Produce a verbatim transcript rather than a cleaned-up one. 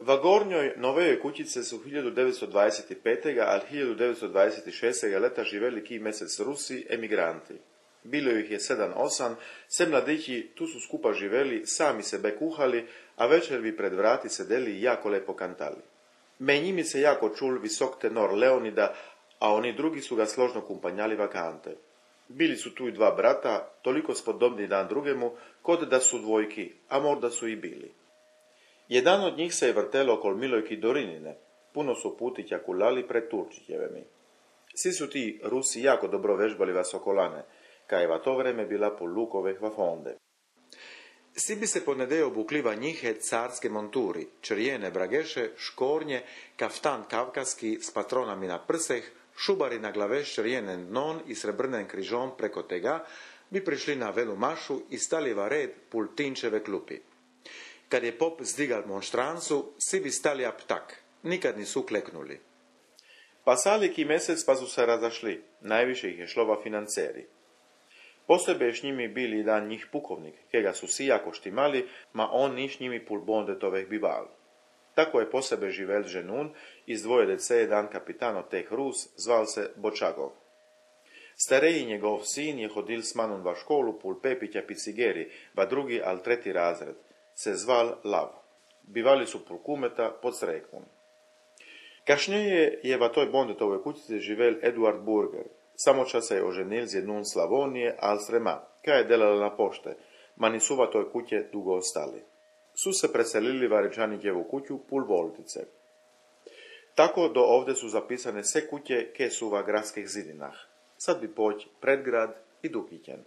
Va gornjoj novejoj kućice su hiljadu devetsto dvadeset pete. ali hiljadu devetsto dvadeset šeste. leta živeli ki mesec Rusi, emigranti. Bilo ih je sedam osam, se mladići tu su skupa živeli, sami sebe kuhali, a večer bi pred vrati sedeli i jako lepo kantali. Me njimi se jako čul visok tenor Leonida, a oni drugi su ga složno kumpanjali vakante. Bili su tu i dva brata, toliko spodobni dan drugemu, kod da su dvojki, a možda su i bili. Jedan od njih se je vrtelo okol Milojki Dorinine, puno su putića kulali pred Turčićevemi. Svi su ti Rusi jako dobro vežbali vasokolane, kajeva to vreme bila po lukove hvafonde. Svi bi se ponedej obukliva njihe carske monturi, črjene brageše, škornje, kaftan kavkaski s patronami na prseh, šubari na glave s črjenen non i srebrnen križom preko tega, bi prišli na velu mašu i stali va red pul tinčeve klupi. Kad je pop zdigal monštrancu, svi bi stali aptak, nikad nisu kleknuli. Pasali ki mesec pa su se razašli, najviše ih je šlo va financeri. Posebej s njimi bili dan njih pukovnik, kega su si jako štimali, ma on niš njimi pul bondetoveh bival. Tako je posebej živel ženun, iz dvoje dece jedan kapitan od teh Rus, zval se Bočagov. Stareji njegov sin je hodil s manom va školu pul Pepića Picigeri, va drugi al treti razred, se zval Lav. Bivali su pul kumeta pod Srekmom. Kašnjeje je va toj bondetovoj kućici živel Eduard Burger. Samo čas se je oženil z jednun Slavonije, al srema, kaj je delala na pošte, ma nisu va toj kuće dugo ostali. Su se preselili va Rečanićevu kuću pul Voltice. Tako do ovde su zapisane sve kuće ke su va gradskih zidinah. Sad bi poć Predgrad i Dukićen.